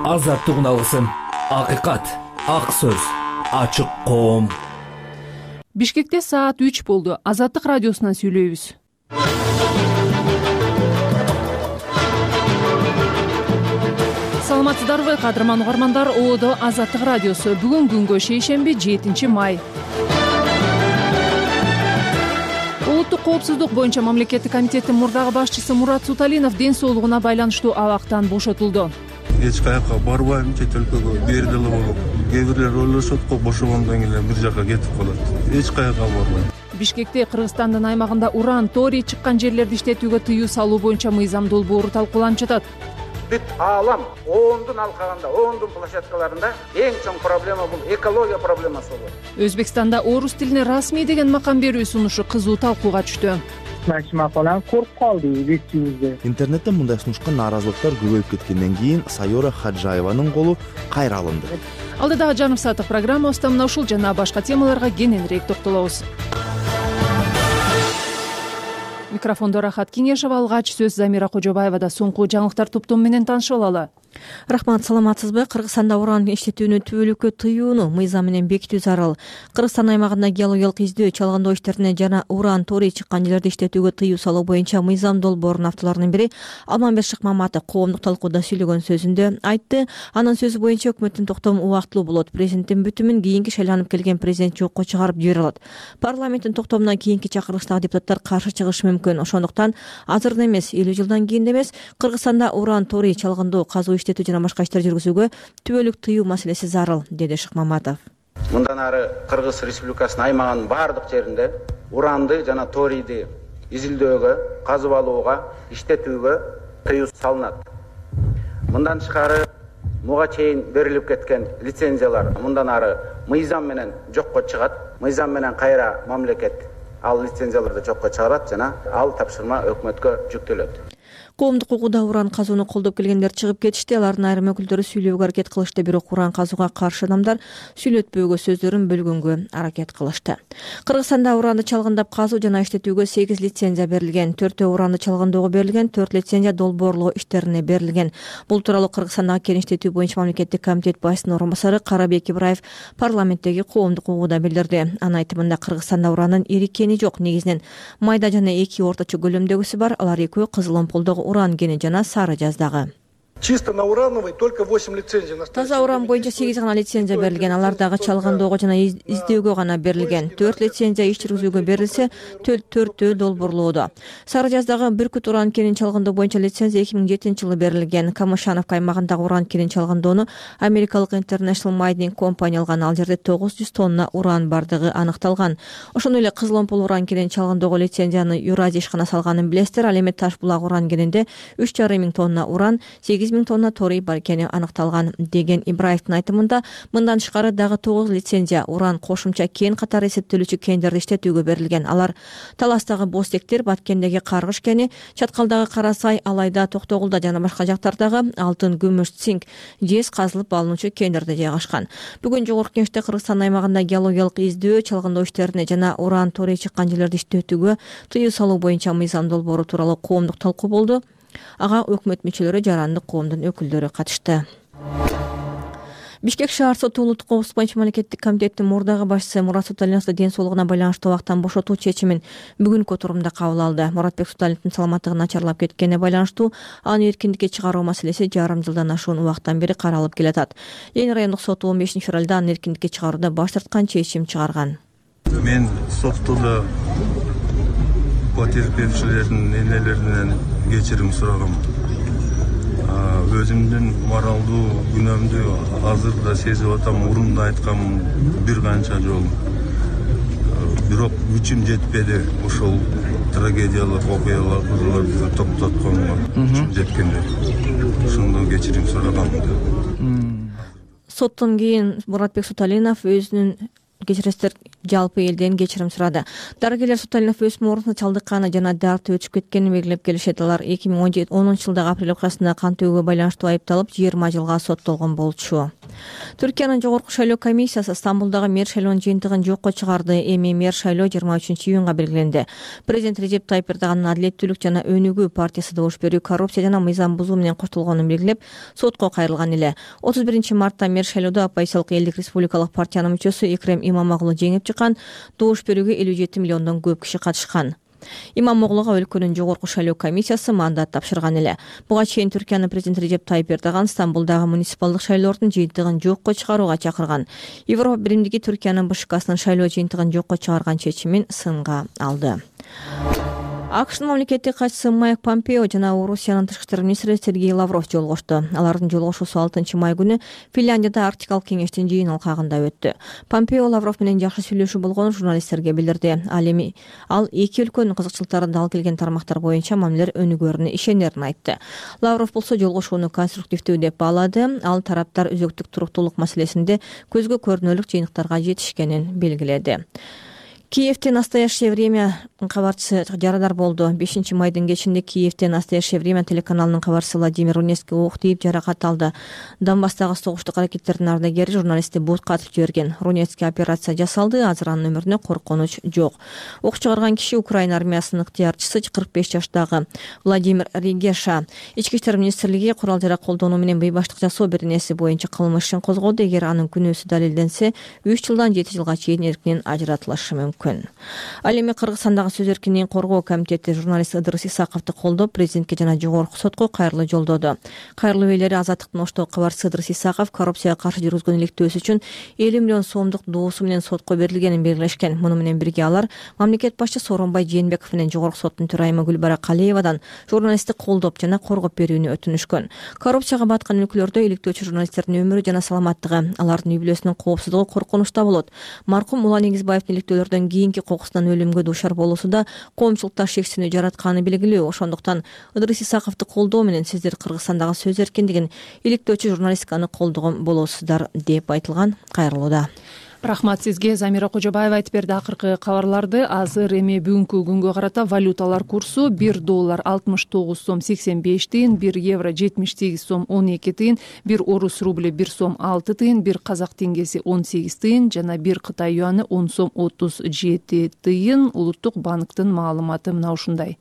Азаттык алгысым, акыйкат, ак сөз, ачык коом. Бишкекте саат 3 болду. Азаттык радиосунан сүйлөйбүз. Саламатсыздарбы, кадырман угармандар? ООД Азаттык радиосу. Бүгүн күнгө шейшемби, 7 май. Улуттук коопсуздук боюнча мамлекеттик комитеттин мурдагы башчысы Мурат Суталинов ден соолугуна байланыштуу абактан бошотулду. Эч каяка барбайм, чет өлкөгө бир деле болуп. Кээ бирлер ойлошот го, бошогондон кийин бир жака кетип калат. Эч каяка барбайм. Бишкекте Кыргызстандын аймагында уран, торий чыккан жерлерди иштетүүгө тыюу салуу боюнча мыйзам долбоору талкууланып жатат. Бүт аалам оондун алкагында, оондун площадкаларында эң чоң проблема бул экология проблемасы болот. Өзбекстанда орус тилине расмий деген макам берүү сунушу кызуу талкууга түштү. Машина коруп калды бетибизде. Интернетте мындай сунушка нааразылыктар көбөйүп кеткенден кийин Сайора Хаджаеванын колу кайра алынды. Алдыдагы жарым сааттык программабызда мына ушул жана башка темаларга кененирээк токтолобуз. Микрофондо Рахат Кеңешова, алгач сөз Замира Кожобаевада. Соңку жаңылыктар топтому менен таанышып алалы. Рахмат, саламатсызбы? Кыргызстанда уран иштетүүнү түбөлүккө тыюуну мыйзам менен бекитүү зарыл. Кыргызстан аймагында геологиялык издөө, чалгындоо иштерине жана уран, торий чыккан жерлерди иштетүүгө тыюу салуу боюнча мыйзам долбоорунун авторлорунун бири Алмамбет Шыкмаматов коомдук талкууда сүйлөгөн сөзүндө айтты. Анын сөзү боюнча өкмөттүн токтому убактылуу болот. Президенттин бүтүмүн кийинки шайланып келген президент жокко чыгарып жибере алат. Парламенттин токтомуна кийинки чакырылыштагы депутаттар каршы чыгышы мүмкүн. Ошондуктан азырда эмес, 50 жылдан кийин эмес, Кыргызстанда уран, торий, чалгындоо, казуу иштетүү жана башка иштер жүргүзүүгө түбөлүк тыюу маселеси зарыл, деди Шыкмаматов. Мындан ары Кыргыз Республикасынын аймагынын баардык жеринде уранды жана торийди изилдөөгө, казып алууга, иштетүүгө тыюу салынат. Мындан тышкары муга чейин берилип кеткен лицензиялар мындан ары мыйзам менен жокко чыгат. Мыйзам менен кайра мамлекет ал лицензияларды жокко чыгарат жана ал тапшырма өкмөткө жүктөлөт. Коомдук укууда уран казууну колдоп келгендер чыгып кетишти. Алардын айрым өкүлдөрү сүйлөөгө аракет кылышты, бирок уран казууга каршы адамдар сүйлөтпөөгө, сөздөрүн бөлгөнгө аракет кылышты. Кыргызстанда уранды чалгындап казуу жана иштетүүгө 8 лицензия берилген. 4 уранды чалгындоого берилген, 4 лицензия долбоорлоо иштерине берилген. Бул тууралуу Кыргызстандагы кен иштетүү боюнча мамлекеттик комитет башчысынын орун басары Карабек Ибраев парламенттеги коомдук укууда билдирди. Анын айтымында Кыргызстанда уранын ири кени жок, негизинен майда жана 2 орточо көлөмдөгүсү бар. Алар экөө Кызыл Омполдогу уран кени жана Сары Жаздагы. Чисто на урановый только 8 лицензий. Таза уран боюнча 8 гана лицензия берилген. Алардагы чалгындоого жана издөөгө гана берилген. 4 лицензия иш жүргүзүүгө берилсе, 4 долбоорлоодо. Сары Жаздагы Бүркүт уран кенин чалгындоо боюнча лицензия 2007-жылы берилген. Камышановка аймагындагы уран кенин чалгындоону америкалык International Mining Company алган. Ал жерде 900 тонна уран бардыгы аныкталган. Ошондой эле Кызыл Омпол уран кенин чалгындоого лицензияны Юразия ишкана салганын билесиздер. Ал эми Таш булак уран кенинде 3,5 миң тонна уран, 8 миң тонна торий бар экени аныкталган, деген Ибраевдин айтымында. Мындан тышкары дагы 9 лицензия уран кошумча кен катары эсептелүүчү кендерди иштетүүгө берилген. Алар Таластагы Бостектер, Баткендеги Каргыш кени, Чаткалдагы Карасай, Алайда, Токтогулда жана башка жактардагы алтын, күмүш, цинк, жез казылып алынуучу кендерде жайгашкан. Бүгүн жогорку кеңеште Кыргызстан аймагында геологиялык издөө, чалгындоо иштерине жана уран, торий чыккан жерлерди иштетүүгө тыюу салуу боюнча мыйзам долбоору тууралуу коомдук талкуу болду. Ага өкмөт мүчөлөрү, жарандык коомдун өкүлдөрү катышты. Бишкек шаар соту улуттук коопсуздук боюнча мамлекеттик комитеттин мурдагы башчысы Мурат Суталиновду ден соолугуна байланыштуу абактан бошотуу чечимин бүгүнкү отурумда кабыл алды. Муратбек Суталиновдун саламаттыгы начарлап кеткенине байланыштуу аны эркиндикке чыгаруу маселеси жарым жылдан ашуун убакыттан бери каралып келатат. Ленин райондук соту 15 февралда аны эркиндикке чыгарууда баш тарткан, чечим чыгарган. Мен соттуда потерпевчилердин энелеринен кечирим сурагам. Өзүмдүн моралдуу күнөөмдү азыр да сезип атам, мурунда айткам бир канча жолу. Бирок күчүм жетпеди ошол трагедиялык окуяларды токтотконго. Күчүм жеткенде. Ошондо кечирим сурагам. Соттон кийин Муратбек Суталинов өзүнүн кечиресиздер, жалпы элден кечирим сурады. Дарыгерлер Суталинов өсүм оорусуна чалдыкканы жана дарты өтүп кеткенин белгилеп келишет. Алар 2010 жылдагы апрель окуясында кан төгүүгө байланыштуу айыпталып 20 жылга соттолгон болчу. Түркиянын жогорку шайлоо комиссиясы Стамбулдагы мэр шайлоонун жыйынтыгын жокко чыгарды. Эми мэр шайлоо 23-июнга белгиленди. Президент Режеп Тайип Эрдогандын Адилеттүүлүк жана өнүгүү партиясы добуш берүү, коррупция жана мыйзам бузуу менен коштолгонун белгилеп, сотко кайрылган эле. 31-мартта мэр шайлоодо Оппозициялык элдик республикалык партиянын мүчөсү Экрем Имамоглу жеңип чыккан. Добуш берүүгө 57 миллиондон көп киши катышкан. Имамоглуга өлкөнүн жогорку шайлоо комиссиясы мандат тапшырган эле. Буга чейин Түркиянын президенти Режеп Тайип Эрдоган Стамбулдагы муниципалдык шайлоонун жыйынтыгын жокко чыгарууга чакырган. Европа биримдиги Түркиянын БШКсынын шайлоо жыйынтыгын жокко чыгарган чечимин сынга алды. АКШнын мамлекеттик катчысы Майк Помпео жана Орусиянын тышкы иштер министри Сергей Лавров жолугушту. Алардын жолугушуусу 6-май күнү Финляндияда Арктикалык кеңештин жыйын алкагында өттү. Помпео Лавров менен жакшы сүйлөшүү болгонун журналисттерге билдирди. Ал эки өлкөнүн кызыкчылыктарын дал келген тармактар боюнча мамилелер өнүгөрүнө ишенерин айтты. Лавров болсо жолугушууну конструктивдүү деп баалады. Ал тараптар өзөктүк туруктуулук маселесинде көзгө көрүнөлүк жыйынтыктарга жетишкенин белгиледи. Киевте «Настоящее время» кабарчысы жарадар болду. 5-майдын кечинде Киевте «Настоящее время» телеканалынын кабарчысы Владимир Рунецкий ок тийип жаракат алды. Донбасстагы согуштук аракеттердин ардагери журналистти бутка атып жиберген. Рунецкий операция жасалды, азыр анын өмүрүнө коркунуч жок. Ок чыгарган киши Украина армиясынын ыктыярчысы 45 жаштагы Владимир Регеша. Ички иштер министрлиги курал жарак колдонуу менен бейбаштык жасоо беренеси боюнча кылмыш ишин козгоду. Эгер анын күнөөсү далилденсе, 3 жылдан 7 жылга чейин эркинен ажыратылышы мүмкүн. Ал эми Кыргызстандагы сөз эркиндигин коргоо комитети журналист Ыдырыс Исаковду колдоп, президентке жана жогорку сотко кайрылуу жолдоду. Кайрылуу ээлери Азаттыктын оштогу кабарчысы Ыдырыс Исаков коррупцияга каршы жүргүзгөн иликтөөсү үчүн 50 миллион сомдук доосу менен сотко берилгенин белгилешкен. Муну менен бирге алар мамлекет башчысы Сооронбай Жээнбеков менен жогорку соттун төрайымы Гүлбара Калиевадан журналистти колдоп жана коргоп берүүнү өтүнүшкөн. Коррупцияга баткан өлкөлөрдө иликтөөчү журналисттердин өмүрү жана саламаттыгы, алардын үй бүлөсүнүн коопсуздугу коркунучта болот. Маркум Улан Эгизбаевдин иликтөөлөрдөн кийинки кокусунан өлүмгө дуушар болуусуда коомчулукта шексинүү жаратканы белгилүү. Ошондуктан Ыдырыс Исаковду колдоо менен сиздер Кыргызстандагы сөз эркиндигин, иликтөөчү журналистиканы колдогон болосуздар деп айтылган кайрылууда. Рахмат сизге. Замира Кожобаева айтып берди акыркы кабарларды. Азыр эми бүгүнкү күнгө карата валюталар курсу: $1 69 сом 85 тыйын, €1 78 сом 12 тыйын, 1 орус рубль 1 сом 6 тыйын, 1 казак теңгеси 18 тыйын жана 1 Кытай юаны 10 сом 37 тыйын. Улуттук банктын маалыматы мына ушундай.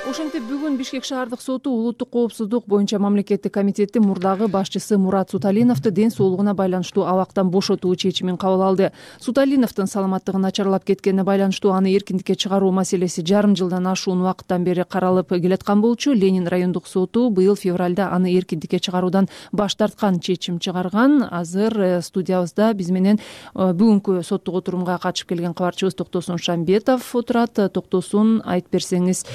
Ошентип бүгүн Бишкек шаардык соту улуттук коопсуздук боюнча мамлекеттик комитеттин мурдагы башчысы Мурат Суталиновду ден соолугуна байланыштуу абактан бошотуу чечимин кабыл алды. Суталиновдун саламаттыгы начарлап кеткенине байланыштуу аны эркиндикке чыгаруу маселеси жарым жылдан ашуун убакыттан бери каралып келаткан болчу. Ленин райондук соту быйыл февралда аны эркиндикке чыгаруудан баш тарткан, чечим чыгарган. Азыр студиябызда биз менен бүгүнкү соттук отурумга катышып келген кабарчыбыз Токтосун Шамбетов отурат. Токтосун, айтып берсеңиз,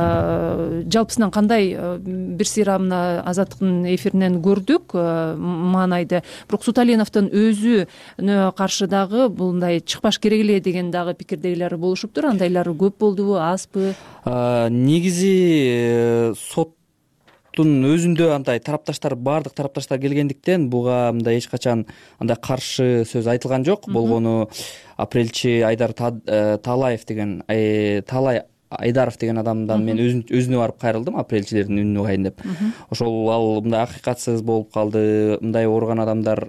жалпысынан кандай бир сыйра мына Азаттыктын эфиринен көрдүк маанайды. Бирок Суталиновдун өзүнө каршы дагы мындай чыкпаш керек эле деген дагы пикирдегилер болушуптур. Андайлар көп болдубу, азбы? Негизи соттун өзүндө андай тарапташтар, баардык тарапташтар келгендиктен буга мындай эч качан андай каршы сөз айтылган жок. Болгону апрелчи Айдар Талаев деген Айдаров деген адамдан мен өзүнө барып кайрылдым, апрелчилердин үнүн угайын деп. Ошол ал мындай акыйкатсыз болуп калды, мындай ооруган адамдар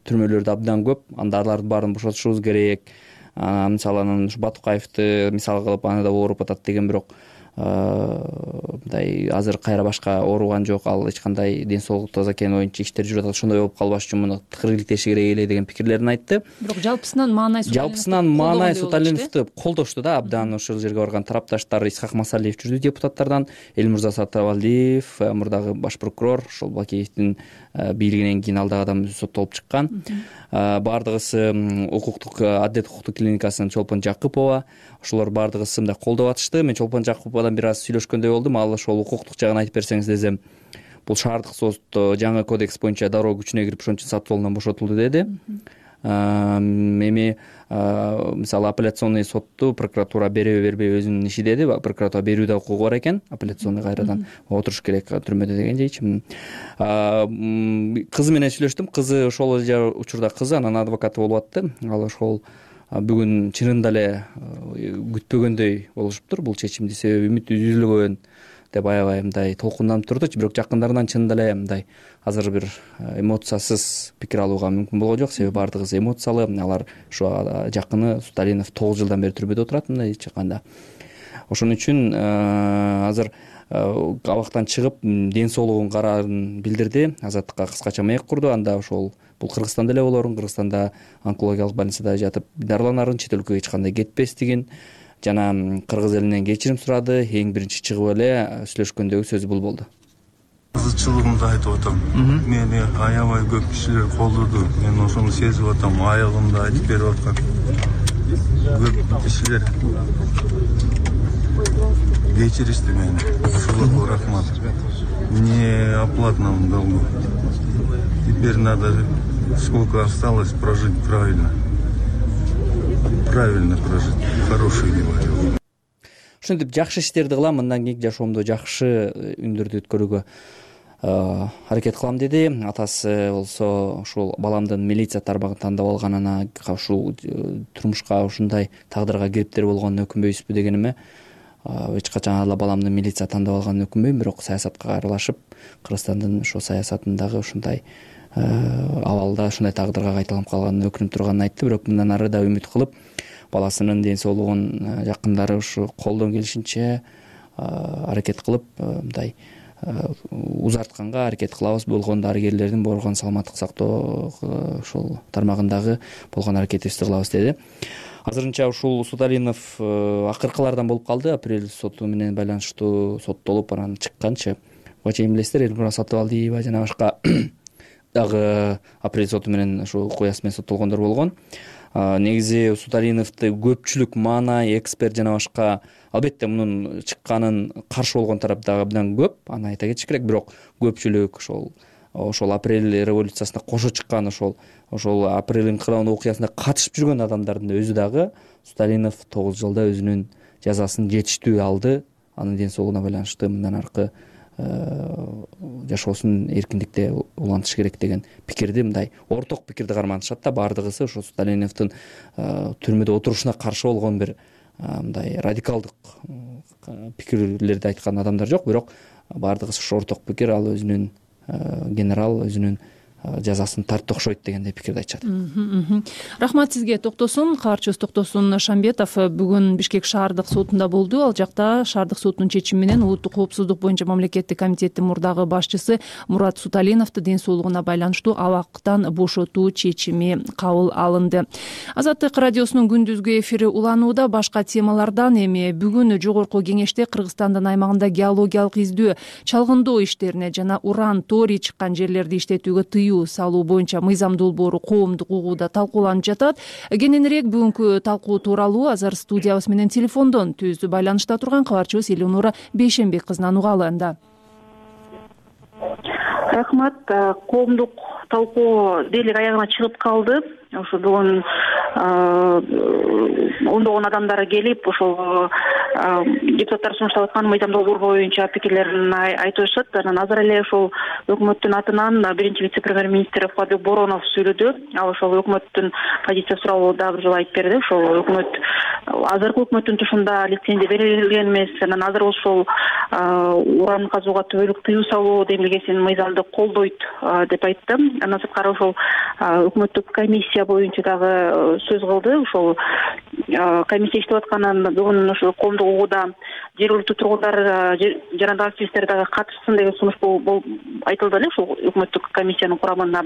түрмөлөрдө абдан көп, анда алардын баарын бошотушубуз керек. Мисалы анан Батукаевди мисал кылып, аны да ооруп атат деген, бирок мындай азыр кайра башка ооруган жок, ал эч кандай ден соолугу таза экени боюнча иштер жүрүп атат, ошондой болуп калбаш үчүн муну тыкыр иликтеши керек эле деген пикирлерин айтты. Бирок жалпысынан маанай Суталиновду колдошту да абдан. Ошол жерге барган тарапташтар Исхак Масалиев жүрдү, депутаттардан, Элмурза Сатыбалдиев, мурдагы баш прокурор, ошол Бакиевдин бийлигинен кийин алдагы адам соттолуп чыккан. Баардыгысы укуктук Аддет укуктук клиникасынын Чолпон Жакыпова, ошолор баардыгысы мындай колдоп атышты. Мен Чолпон Жакыповадан бир аз сүйлөшкөндөй болдум. Ал ошол укуктук жагын айтып берсеңиз десем, бул шаардык сот жаңы кодекс боюнча дароо күчүнө кирип ошон үчүн сатып алуудан бошотулду деди. эми мисалы апелляционный сотту прокуратура береби бербейби өзүнүн иши деди. Прокуратура берүү да укугу бар экен, апелляционный кайрадан отуруш керек түрмөдө деген чечим. Кызы менен сүйлөштүм. Кызы ошол учурда кызы анан адвокаты болуп атты. Ал ошол бүгүн чынында эле күтпөгөндөй болушуптур бул чечимди, себеби үмүт үзүлгөн деп аябай мындай толкунданып турду. Бирок жакындарынан чынында эле мындай азыр бир эмоциясыз пикир алууга мүмкүн болгон жок, себеби баардыгыбыз эмоциялы. Алар ушу жакыны Суталинов 9 жылдан бери түрмөдө отурат мындай чыкканда. Ошон үчүн азыр абактан чыгып ден соолугун караарын билдирди. Азаттыкка кыскача маек курду. Анда ошол бул Кыргызстанда эле болорун, Кыргызстанда онкологиялык больницада жатып дарыланарын, чет өлкөгө эч кандай кетпестигин жана кыргыз элинен кечирим сурады. Эң биринчи чыгып эле сүйлөшкөндөгү сөзү бул болду. Кызычылыгымды айтып атам. Мени аябай көп кишилер колдоду. Мен ошону сезип атам. Аягымды айтып берип аткан көп кишилер кечиришти мени. Ошолорго рахмат. Мне оплата нам долго. Теперь надо сколько осталось прожить правильно. Правильно прожить. Хороший говорю. Ошентип жакшы иштерди кылам, мындан кийинки жашоомдо жакшы үндөрдү өткөрүүгө аракет кылам деди. Атасы болсо ушул баламдын милиция тармагын тандап алганына, ушул турмушка ушундай тагдырга кириптер болгонуна өкүнбөйсүзбү дегениме, эч качан ала баламдын милиция тандап алганына өкүнбөйм, бирок саясатка аралашып, Кыргызстандын ошо саясатындагы ушундай абалда ушундай тагдырга кайталанып калганына өкүнүп турганын айтты. Бирок мындан ары да үмүт кылып, баласынын ден соолугун жакындары ушу колдон келишинче аракет кылып, мындай узартканга аракет кылабыз. Болгон дарыгерлердин, болгон саламаттык сактоо ушул тармагындагы болгон аракетибизди кылабыз деди. Азырынча ушул Суталинов акыркылардан болуп калды. Апрель соту менен байланыштуу соттолуп анан чыкканчы. Буга чейин билесиздер, Элнура Сатыбалдиева жана башка дагы апрель соту менен ушу куясы менен соттолгондор болгон. Негизи Суталиновду көпчүлүк маанай, эксперт жана башка, албетте мунун чыкканын каршы болгон тарап дагы абдан көп, аны айта кетиш керек. Бирок көпчүлүк ошол апрель революциясына кошо чыккан, ошол апрель инкылабынын окуясына катышып жүргөн адамдардын өзү дагы Суталинов 9 жылда өзүнүн жазасын жетиштүү алды. Анын ден соолугуна байланыштуу мындан аркы жашоосун эркиндикте улантыш керек деген пикирди, мындай орток пикирди карманышат да. Баардыгысы ошо Суталиновдун түрмөдө отурушуна каршы болгон бир мындай радикалдык пикирлерди айткан адамдар жок, бирок баардыгысы ошо орток пикир. Ал өзүнүн генерал өзүнүн жазасын тартты окшойт дегендей пикирди айтышат. Рахмат сизге, Токтосун. Кабарчыбыз Токтосун Шамбетов бүгүн Бишкек шаардык сотунда болду. Ал жакта шаардык соттун чечими менен улуттук коопсуздук боюнча мамлекеттик комитеттин мурдагы башчысы Мурат Суталиновду ден соолугуна байланыштуу абактан бошотуу чечими кабыл алынды. Азаттык радиосунун күндүзгү эфири уланууда. Башка темалардан эми бүгүн жогорку кеңеште Кыргызстандын аймагында геологиялык издөө, чалгындоо иштерине жана уран, торий чыккан жерлерди иштетүүгө тыюу салуу боюнча мыйзам долбоору коомдук угууда талкууланып жатат. Кененирээк бүгүнкү талкуу тууралуу азыр студиябыз менен телефондон түздүү байланышта турган кабарчыбыз Элнура Бейшенбек кызынан угалы анда. Рахмат. Коомдук талкуу дээрлик аягына чыгып калды. Ошо бүгүн ондогон адамдар келип, ошол депутаттар сунуштап аткан мыйзам долбоор боюнча пикирлерин айтып атышат. Анан азыр эле ошол өкмөттүн атынан биринчи вице-премьер-министр Фадыл Боронов сүйлөдү. Ал ошол өкмөттүн позиция суроолууда бир жолу айтып берди. Ошол өкмөт азыркы өкмөттүн тушунда лицензия берилген эмес. Анан азыр ошол уран казууга түбөлүк тыюу салуу демилгесин мыйзамды колдойт деп айтты. Андан сырткары ошол өкмөттүк комиссия боюнча дагы сөз кылды. Ошол комиссия иштеп атканын бүгүн ошо коомдук угууда жергиликтүү тургундар жана дагы активисттер дагы катышсын деген сунуш айтылды эле. Ошол өкмөттүк комиссиянын курамына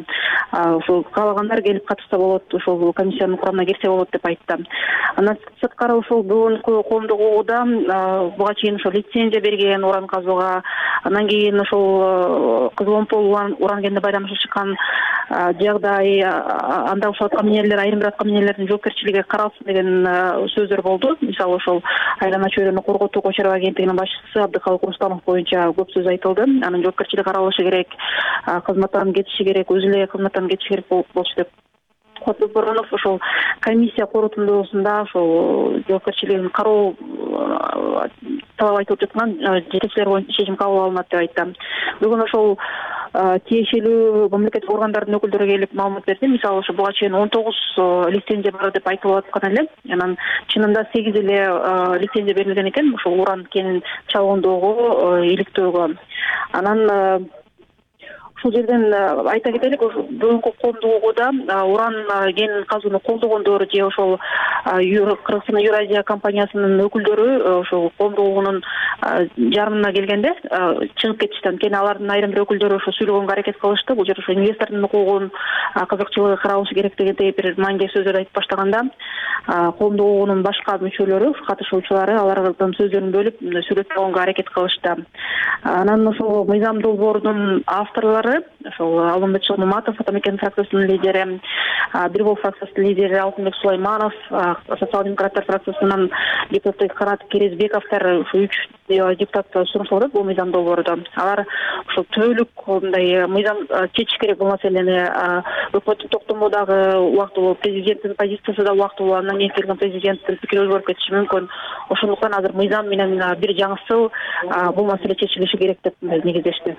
ошол каалагандар келип катышса болот, ошол комиссиянын курамына кирсе болот деп айтты. Андан сырткары ошол бүгүнкү коомдук угууда буга чейин ошол лицензия берген уран казууга, андан кийин ошол Кызыл уран кенде байланышып чыккан жагдай, анда ошол аткаминерлер, айрым бир аткаминерлердин жоопкерчилиги каралсын деген сөздөр болду. Мисалы ошол айлана чөйрөнү корготуу Кочаров агенттигинин башчысы Абдыкалык Рустамов боюнча көп сөз айтылды. Анын жоопкерчилиги каралышы керек, кызматтан кетиши керек, өзү эле кызматтан кетиши керек болчу деп Кубатбек Боронов ошол комиссия корутундуусунда ошол жоопкерчилигин кароо талап айтылып жаткан жетекчилер боюнча чечим кабыл алынат деп айтты. Бүгүн ошол тиешелүү мамлекеттик органдардын өкүлдөрү келип маалымат берди. Мисалы ошо буга чейин 19 лицензия бар деп айтылып аткан эле. Анан чынында 8 эле лицензия берилген экен ошол уран кенин чалгындоого, иликтөөгө. Анан ушул жерден айта кетелик, бүгүнкү коомдук угууда уран кен казууну колдогондор же ошол Кыргызстан Евразия компаниясынын өкүлдөрү ошол коомдук угуунун жарымына келгенде чыгып кетишти. Анткени алардын айрым бир өкүлдөрү ошо сүйлөгөнгө аракет кылышты. Бул жер ошо инвестордун укугун, кызыкчылыгы каралышы керек дегендей бир маанилүү сөздөрдү айтып баштаганда коомдук угуунун башка мүчөлөрү, катышуучулары алардын сөздөрүн бөлүп сүйлөтүп койгонго аракет кылышты. Анан ошол мыйзам долбоорунун авторлору ошол Алмамбет Шолмаматов, Атамекен фракциясынын лидери, Бир Бул фракциясынын лидери Алтынбек Сулайманов, социал-демократтар фракциясынын депутаты Канат Керезбековдор, ушу 3 депутат сунушталып атат бул мыйзам долбоордо. Алар ошол түбөлүк мындай мыйзам чечиш керек бул маселени. Өкмөттүн токтому дагы убактылуу, президенттин позициясы да убактылуу, андан кийин келген президенттин пикири өзгөрүп кетиши мүмкүн. Ошондуктан азыр мыйзам менен бир жаңысыл бул маселе чечилиши керек деп негиздешти.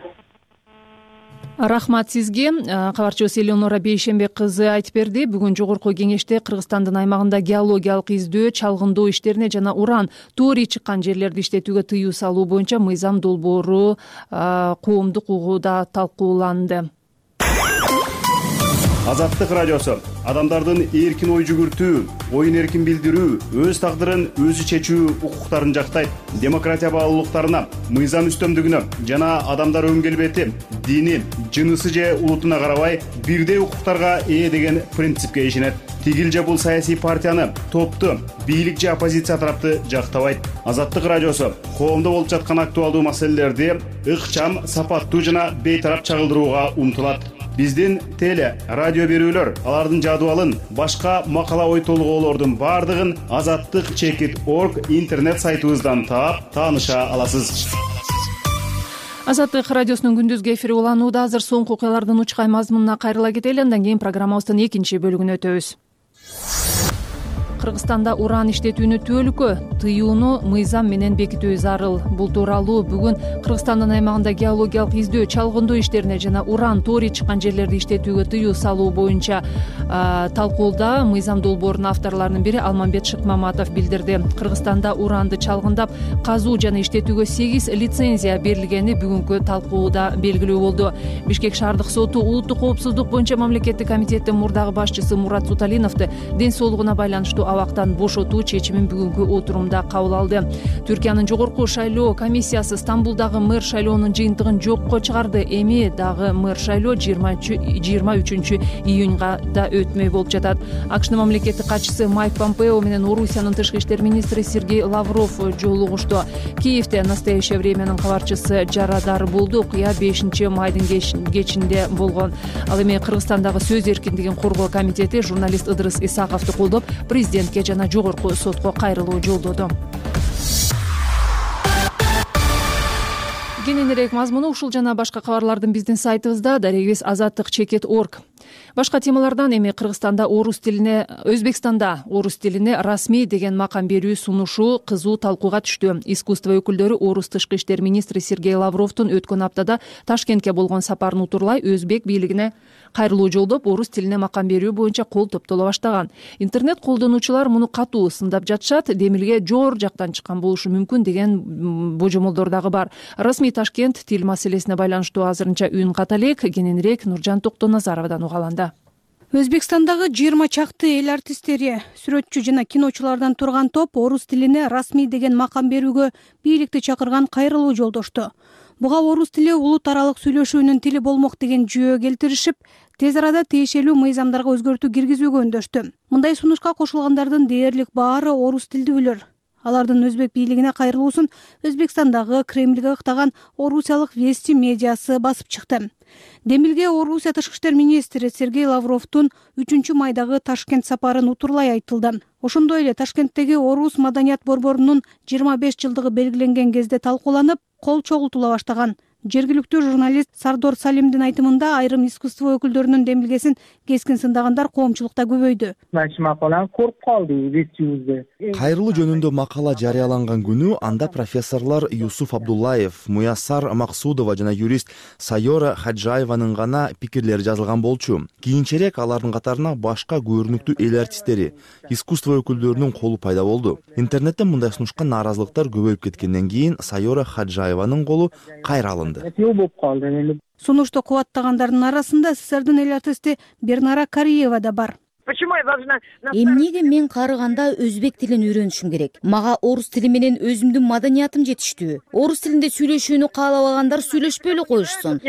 Рахмат сизге. Кабарчыбыз Элеонора Бейшембек кызы айтып берди. Бүгүн жогорку кеңеште Кыргызстандын аймагында геологиялык издөө, чалгындоо иштерине жана уран, торий чыккан жерлерди иштетүүгө тыюу салуу боюнча мыйзам долбоору коомдук угууда талкууланды. Азаттык радиосу адамдардын эркин ой жүгүртүү, оюн эркин билдирүү, өз тагдырын өзү чечүү укуктарын жактайт. Демократия баалуулуктарына, мыйзам үстөмдүгүнө жана адамдар өн келбети, дини, жынысы же улутуна карабай бирдей укуктарга ээ деген принципке ишенет. Тигил же бул саясий партияны, топту, бийлик же оппозиция тарапты жактабайт. Азаттык радиосу коомдо болуп жаткан актуалдуу маселелерди ыкчам, сапаттуу жана бейтарап чагылдырууга умтулат. Биздин теле, радио берүүлөр, алардын жадыбалын, башка макала ой толгоолордун бардыгын azattik.org интернет сайтыбыздан таап, тааныша аласыз. Азаттык радиосунун күндүзгү эфири уланууда. Азыр соңку окуялардын учкай мазмунуна кайрыла кетели, андан кийин программабыздын экинчи бөлүгүнө өтөбүз. Кыргызстанда уран иштетүүнү түбөлүккө тыюуну мыйзам менен бекитүү зарыл. Бул тууралуу бүгүн Кыргызстандын аймагында геологиялык издөө, чалгындоо иштерине жана уран, торий чыккан жерлерди иштетүүгө тыюу салуу боюнча талкууда мыйзам долбоорунун авторлорунун бири Алмамбет Шыкмаматов билдирди. Кыргызстанда уранды чалгындап казуу жана иштетүүгө 8 лицензия берилгени бүгүнкү талкууда белгилүү болду. Бишкек шаардык соту улуттук коопсуздук боюнча мамлекеттик комитеттин мурдагы башчысы Мурат Суталиновду ден соолугуна байланыштуу абактан бошотуу чечимин бүгүнкү отурумда кабыл алды. Түркиянын жогорку шайлоо комиссиясы Стамбулдагы мэр шайлоонун жыйынтыгын жокко чыгарды. Эми дагы мэр шайлоо 23 июнга да өтмөй болуп жатат. АКШнын мамлекеттик катчысы Майк Помпео менен Орусиянын тышкы иштер министри Сергей Лавров жолугушту. Киевде «Настоящее времянын кабарчысы Жарадар болду. Окуя 5-майдын кечинде болгон. Ал эми Кыргызстандагы сөз эркиндигин коргоо комитети журналист Ыдырыс Исаковду колдоп, президентке жана жогорку сотко кайрылуу жолдоду. Кененирээк мазмуну ушул жана башка кабарлардын биздин сайтыбызда daregibis.azattik.org. Башка темалардан эми Кыргызстанда Өзбекстанда орус тилине расмий деген макам берүү сунушу кызуу талкууга түштү. Искусство өкүлдөрү орус тышкы иштер министри Сергей Лавровдун өткөн аптада Ташкентке болгон сапарын утурлай өзбек бийлигине кайрылуу жолдоп, орус тилине макам берүү боюнча кол топтоло баштаган. Интернет колдонуучулар муну катуу сындап жатышат. Демилге жоор жактан чыккан болушу мүмкүн деген божомолдор дагы бар. Расмий Ташкент тил маселесине байланыштуу азырынча үн ката элек. Кененирээк Нуржан Токтоназаровдон угаланда. Өзбекстандагы 20 чакты эл артисттери, сүрөтчү жана киночулардан турган топ орус тилине расмий деген макам берүүгө бийликти чакырган кайрылуу жолдошту. Буга орус тили улут аралык сүйлөшүүнүн тили болмок деген жүйө келтиришип, тез арада тиешелүү мыйзамдарга өзгөртүү киргизүүгө үндөштү. Мындай сунушка кошулгандардын дээрлик баары орус тилдүүлөр. Алардын өзбек бийлигине кайрылуусун Өзбекстандагы Кремльге ыктаган орусиялык Вести медиасы басып чыкты. Демилге Орусия тышкы иштер министри Сергей Лавровдун 3-майдагы Ташкент сапарын утурлай айтылды. Ошондой эле Ташкенттеги орус маданият борборунун 25 жылдыгы белгиленген кезде талкууланып, кол чогултула баштаган. Жергиликтүү журналист Сардор Салимдин айтымында айрым искусство өкүлдөрүнүн демилгесин кескин сындагандар коомчулукта көбөйдү. Макаланы көрүп калды Вестюзде. Кайрылуу жөнүндө макала жарыяланган күнү анда профессорлор Юсуф Абдуллаев, Муяссар Максудова жана юрист Сайора Хаджаеванын гана пикирлери жазылган болчу. Кийинчерээк алардын катарына башка көрүнүктүү эл артисттери, искусство өкүлдөрүнүн колу пайда болду. Интернетте мындай сунушка нааразылыктар көбөйүп кеткенден кийин Сайора Хаджаеванын колу кайра алынды. Сунушту кубаттагандардын арасында СССРдин эл артисти Бернара Кариева да бар. Эмнеге мен карыганда өзбек тилин үйрөнүшүм керек? Мага орус тили менен өзүмдүн маданиятым жетиштүү. Орус тилинде сүйлөшүүнү каалабагандар сүйлөшпөй эле коюшсун.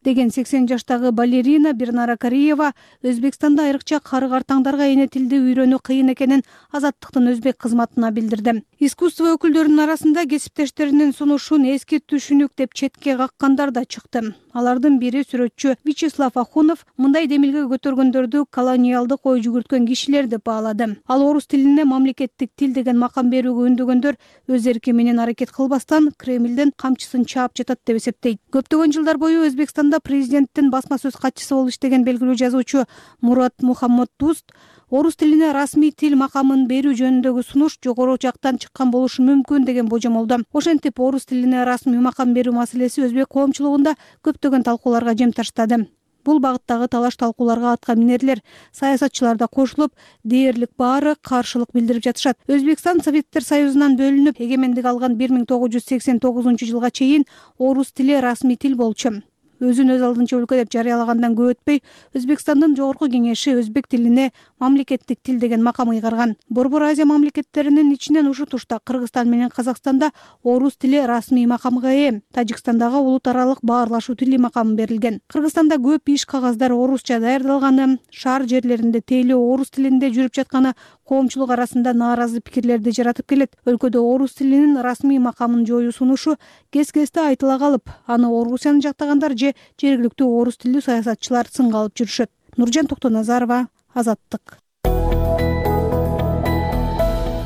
Деген 80 жаштагы балерина Бернара Кариева Өзбекстанда айрыкча кары картаңдарга эне тилди үйрөнүү кыйын экенин Азаттыктын өзбек кызматына билдирди. Искусство өкүлдөрүнүн арасында кесиптештеринин сунушун эски түшүнүк деп четке каккандар да чыкты. Алардын бири сүрөтчү Вячеслав Ахунов мындай демилге көтөргөндөрдү колониалдык ой жүгүрткөн кишилер деп баалады. Ал орус тилине мамлекеттик тил деген макам берүүгө үндөгөндөр өз эрки менен аракет кылбастан Кремлдин камчысын чаап жатат деп эсептейт. Көптөгөн жылдар бою Өзбекстанда президенттин басма сөз катчысы болуп иштеген белгилүү жазуучу Мурат Мухаммад Дуст орус тилине расмий тил макамын берүү жөнүндөгү сунуш жогору жактан чыккан болушу мүмкүн деген божомолдо. Ошентип орус тилине расмий макам берүү маселеси өзбек коомчулугунда көптөгөн талкууларга жем таштады. Бул багыттагы талаш талкууларга атка минерлер, саясатчылар да кошулуп, дээрлик баары каршылык билдирип жатышат. Өзбекстан Советтер Союзунан бөлүнүп, эгемендик алган 1989 жылга чейин орус тили расмий тил болчу. Өзүн өз алдынча өлкө деп жарыялагандан көп өтпөй, Өзбекстандын жогорку кеңеши өзбек тилине мамлекеттик тил деген макам ыйгарган. Борбор Азия мамлекеттеринин ичинен ушу тушта Кыргызстан менен Казакстанда орус тили расмий макамга ээ. Тажикстандагы улут аралык баарлашуу тили макамы берилген. Кыргызстанда көп иш кагаздар орусча даярдалганы, шаар жерлеринде тейлөө орус тилинде жүрүп жатканы коомчулук арасында нааразы пикирлерди жаратып келет. Өлкөдө орус тилинин расмий макамын жоюу сунушу кес-кесте айтыла калып, аны Орусияны жактагандар же жергиликтүү орус тилдүү саясатчылар сынга алып жүрүшөт. Нуржан Токтоназарова, Азаттык.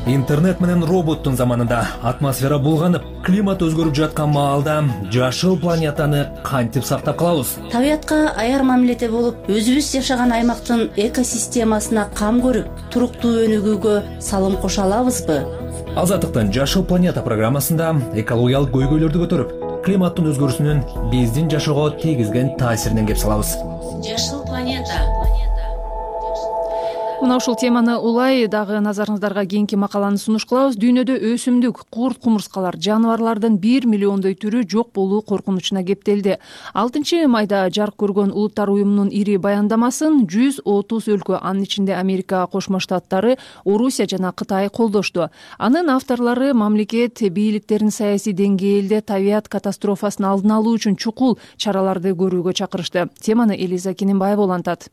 Интернет менен роботтун заманында атмосфера булганып, климат өзгөрүп жаткан маалда жашыл планетаны кантип сактап калабыз? Табиятка аяр мамиледе болуп, өзүбүз жашаган аймактын экосистемасына кам көрүп, туруктуу өнүгүүгө салым кошо алабызбы? Азаттыктын Жашыл планета программасында экологиялык көйгөйлөрдү көтөрүп, климаттын өзгөрүүсүнүн биздин жашоого тийгизген таасиринен кеп салабыз. Жашыл планета. Мына ушул теманы улай дагы назарыңыздарга кийинки макаланы сунуш кылабыз. Дүйнөдө өсүмдүк, курт кумурскалар, жаныбарлардын 1 миллиондой түрү жок болуу коркунучуна кептелди. 6 майда жарык көргөн Улуттар уюмунун ири баяндамасын 130 өлкө, анын ичинде Америка Кошмо Штаттары, Орусия жана Кытай колдошту. Анын авторлору мамлекет бийликтерин саясий деңгээлде табият катастрофасын алдын алуу үчүн чукул чараларды көрүүгө чакырышты. Теманы Элиза Кененбаева улантат.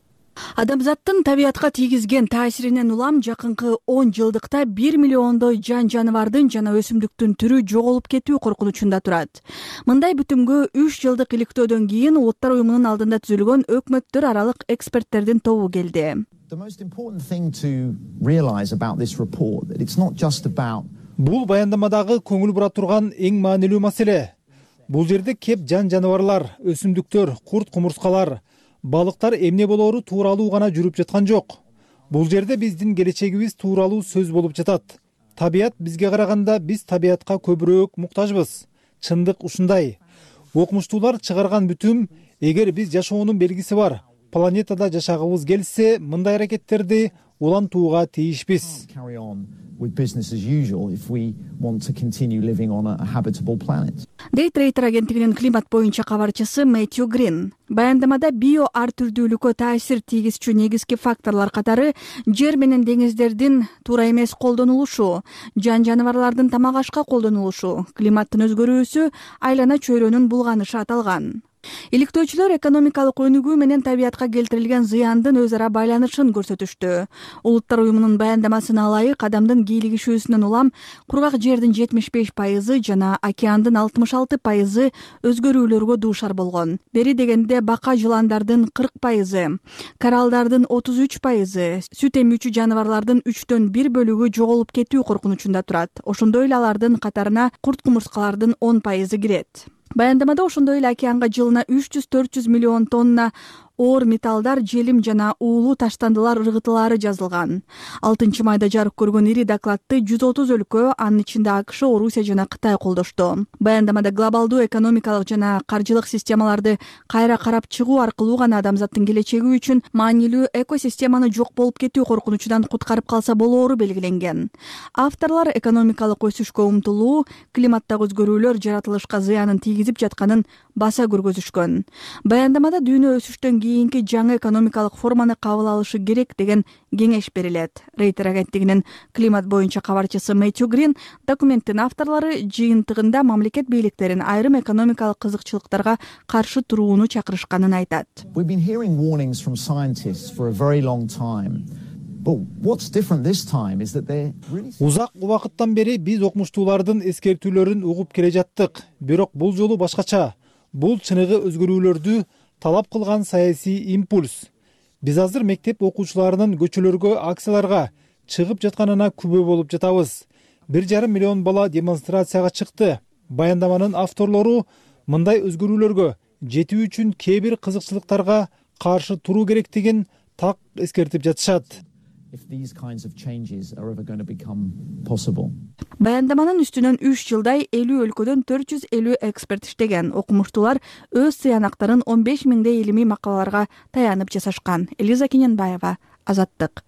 Адамзаттын табиятка тийгизген таасиринен улам жакынкы 10 жылдыкта 1 миллиондой жаныбардын жана өсүмдүктүн түрү жоголуп кетүү коркунучунда турат. Мындай бүтүмгө 3 жылдык иликтөөдөн кийин Улуттар уюмунун алдында түзүлгөн өкмөттөр аралык эксперттердин тобу келди. Бул баяндамадагы көңүл бура турган эң маанилүү маселе. Бул жерде кеп жаныбарлар, өсүмдүктөр, курт кумурскалар, балыктар эмне болоору тууралуу гана жүрүп жаткан жок. Бул жерде биздин келечегибиз тууралуу сөз болуп жатат. Табият бизге караганда биз табиятка көбүрөөк муктажбыз. Чындык ушундай. Окумуштуулар чыгарган бүтүм, эгер биз жашоонун белгиси бар планетада жашагыбыз келсе, мындай аракеттерди улантууга тийишпиз. Дейтрейтер агенттигинин климат боюнча кабарчысы Мэтью Грин баяндамада био ар түрдүүлүккө таасир тийгизчү негизги факторлор катары жер менен деңиздердин туура эмес колдонулушу, жаныбарлардын тамак ашка колдонулушу, климаттын өзгөрүүсү, айлана чөйрөнүн булганышы аталган. Иликтөөчүлөр экономикалык өнүгүү менен табиятка келтирилген зыяндын өз ара байланышын көрсөтүштү. Улуттар уюмунун баяндамасына ылайык, адамдын кийлигишүүсүнөн улам кургак жердин 75% жана океандын 66% өзгөрүүлөргө дуушар болгон. Бери дегенде бака жыландардын 40%, коралдардын 33%, сүт эмүүчү жаныбарлардын 1/3 бөлүгү жоголуп кетүү коркунучунда турат. Ошондой эле алардын катарына курт кумурскалардын 10% кирет. Баяндамада ошондой эле океанга жылына 300-400 миллион тонна оор металлдар, желим жана уулуу таштандылар ыргытылаары жазылган. 6-майда жарык көргөн ири докладты 130 өлкө, анын ичинде АКШ, Орусия жана Кытай колдошту. Баяндамада глобалдуу экономикалык жана каржылык системаларды кайра карап чыгуу аркылуу гана адамзаттын келечеги үчүн маанилүү экосистеманы жок болуп кетүү коркунучунан куткарып калса болоору белгиленген. Авторлор экономикалык өсүшкө умтулуу, климаттагы өзгөрүүлөр жаратылышка зыянын тийгизип жатканын баса көргөзүшкөн. Баяндамада дүйнө өсүштөн кийинки жаңы экономикалык форманы кабыл алышы керек деген кеңеш берилет. Рейтер агенттигинин климат боюнча кабарчысы Мэтью Грин документтин авторлору жыйынтыгында мамлекет бийликтерин айрым экономикалык кызыкчылыктарга каршы турууну чакырышканын айтат. Узак убакыттан бери биз окумуштуулардын эскертүүлөрүн угуп келе жаттык, бирок бул жолу башкача. Бул чыныгы өзгөрүүлөрдү талап кылган саясий импульс. Биз азыр мектеп окуучуларынын көчөлөргө, акцияларга чыгып жатканына күбө болуп жатабыз. 1,5 миллион бала демонстрацияга чыкты. Баяндаманын авторлору мындай өзгөрүүлөргө жетүү үчүн кээ бир кызыкчылыктарга каршы туруу керектигин так эскертип жатышат. Баяндаманын үстүнөн 3 жылдай 50 өлкөдөн 450 эксперт иштеген. Окумуштуулар өз сыянактарын 15 миңдей илимий макалаларга таянып жасашкан. Элиза Кененбаева, Азаттык.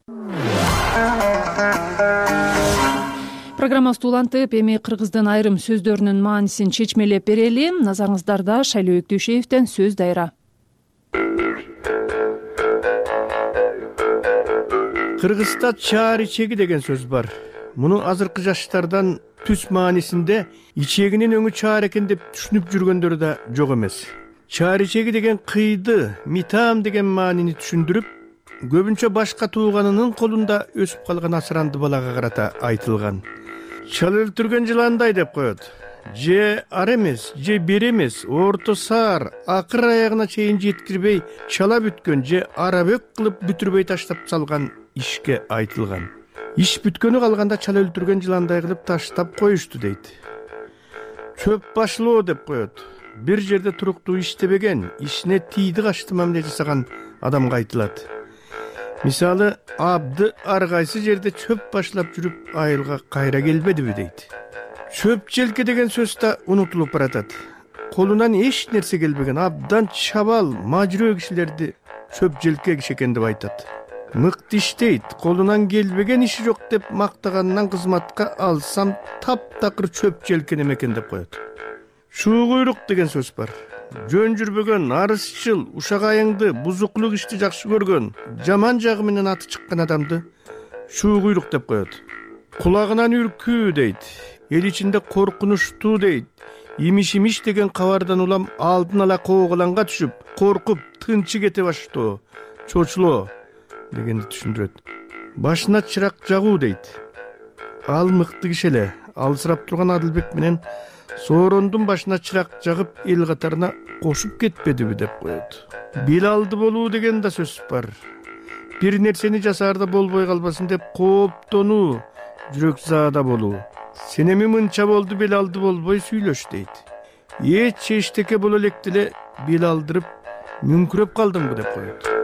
Программабызды улантып, эми кыргыздын айрым сөздөрүнүн маанисин чечмелеп берели. Назарыңыздарда Шайлоо Өктөшеевден сөз дайра. Кыргызда чаар ичеги деген сөз бар. Муну азыркы жаштардан түз маанисинде ичегинин өңү чаар экен деп түшүнүп жүргөндөр да жок эмес. Чаар ичеги деген кыйды, митам деген маанини түшүндүрүп, көбүнчө башка тууганынын колунда өсүп калган асыранды балага карата айтылган. Чала өлтүргөн жыландай деп коет. Же ар эмес, же бир эмес, орто саар, акыр аягына чейин жеткирбей чала бүткөн, же арабөк кылып бүтүрбөй таштап салган ишке айтылган. Иш бүткөнү калганда чала өлтүргөн жыландай кылып таштап коюшту дейт. Чөп башлоо деп коет. Бир жерде туруктуу иштебеген, ишине тийди качты мамиле жасаган адамга айтылат. Мисалы, абды ар кайсы жерде чөп башлап жүрүп айылга кайра келбедиби дейт. Чөп желке деген сөз да унутулуп баратат. Колунан эч нерсе келбеген, абдан чабал, мажрөө кишилерди чөп желке киши экен деп айтат. Мыкты иштейт, колунан келбеген иши жок деп мактаганынан кызматка алсам таптакыр чөп желкенем экен деп коет. Шуу куйрук деген сөз бар. Жөн жүрбөгөн, арызчыл, ушак айыңды, бузуклук ишти жакшы көргөн, жаман жагы менен аты чыккан адамды шуу куйрук деп коет. Кулагынан үркүү дейт. Эл ичинде коркунучтуу дейт. Имиш деген кабардан улам алдын ала кооголанга түшүп, коркуп, тынчы кете баштоо, чочулоо дегенди түшүндүрөт. Башына чырак жагуу дейт. Ал мыкты киши эле. Алысырап турган Адылбек менен Соорондун башына чырак жагып эл катарына кошуп кетпедиби деп коет. Билалды болуу деген да сөз бар. Бир нерсени жасаарда болбой калбасын деп кооптонуу, жүрөк заада болуу. Сен эми мынча болду, Билалды болбой сүйлөш дейт. Эч эчтеке боло электи эле Билалдырып мүңкүрөп калдыңбы деп коет.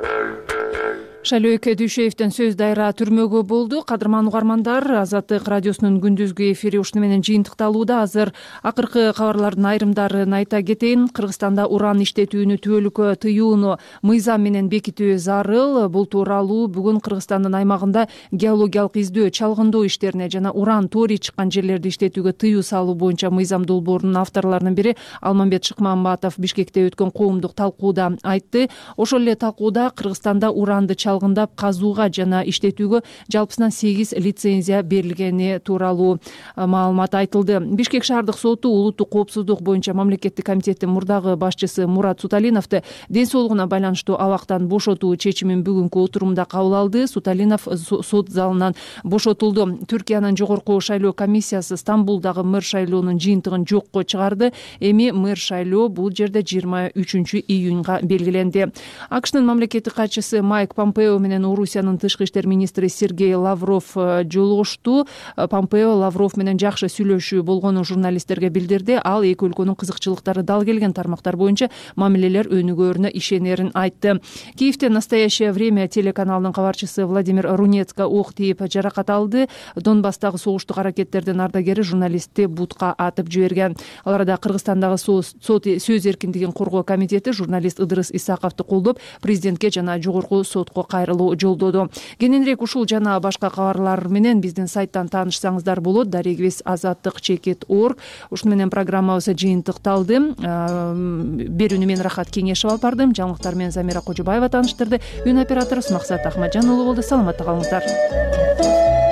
Шайлоо Өктөшеевден сөз дайра түрмөгө болду. Кадырман угармандар, Азаттык радиосунун күндүзгү эфири ушуну менен жыйынтыкталууда. Азыр акыркы кабарлардын айрымдарын айта кетейин. Кыргызстанда уран иштетүүнү түбөлүккө тыюуну мыйзам менен бекитүү зарыл. Бул тууралуу бүгүн Кыргызстандын аймагында геологиялык издөө, чалгындоо иштерине жана уран торий чыккан жерлерди иштетүүгө тыюу салуу боюнча мыйзам долбоорунун авторлорунун бири Алмамбет Шыкмамбатов Бишкекте өткөн коомдук талкууда айтты. Ошол эле талкууда Кыргызстанда уранды чалгындап казууга жана иштетүүгө жалпысынан 8 лицензия берилгени тууралуу маалымат айтылды. Бишкек шаардык соту улуттук коопсуздук боюнча мамлекеттик комитеттин мурдагы башчысы Мурат Суталиновду ден соолугуна байланыштуу абактан бошотуу чечимин бүгүнкү отурумда кабыл алды. Суталинов сот залынан бошотулду. Түркиянын жогорку шайлоо комиссиясы Стамбулдагы мэр шайлоонун жыйынтыгын жокко чыгарды. Эми мэр шайлоо бул жерде 23 июнга белгиленди. АКШнын мамлекеттик катчысы Майк Помпео Помпео менен Орусиянын тышкы иштер министри Сергей Лавров жолугушту. Помпео Лавров менен жакшы сүйлөшүү болгонун журналисттерге билдирди. Ал эки өлкөнүн кызыкчылыктары дал келген тармактар боюнча мамилелер өнүгөөрүнө ишенерин айтты. Киевде «Настоящее время» телеканалынын кабарчысы Владимир Рунецко ок тийип жаракат алды. Донбасстагы согуштук аракеттердин ардагери журналистти бутка атып жиберген. Ал арада Кыргызстандагы сөз эркиндигин коргоо комитети журналист Ыдырыс Исаковду колдоп, президентке жана жогорку сотко кайрылуу жолдоду. Кененирээк ушул жана башка кабарлар менен биздин сайттан таанышсаңыздар болот. Дарегибиз azаттык.org. Ушуну менен программабыз жыйынтыкталды. Берүүнү мен Рахат Кеңешев алып бардым. Жаңылыктар менен Замира Кожобаева тааныштырды. Үн операторубуз Максат Ахмаджан уулу болду. Саламатта калыңыздар.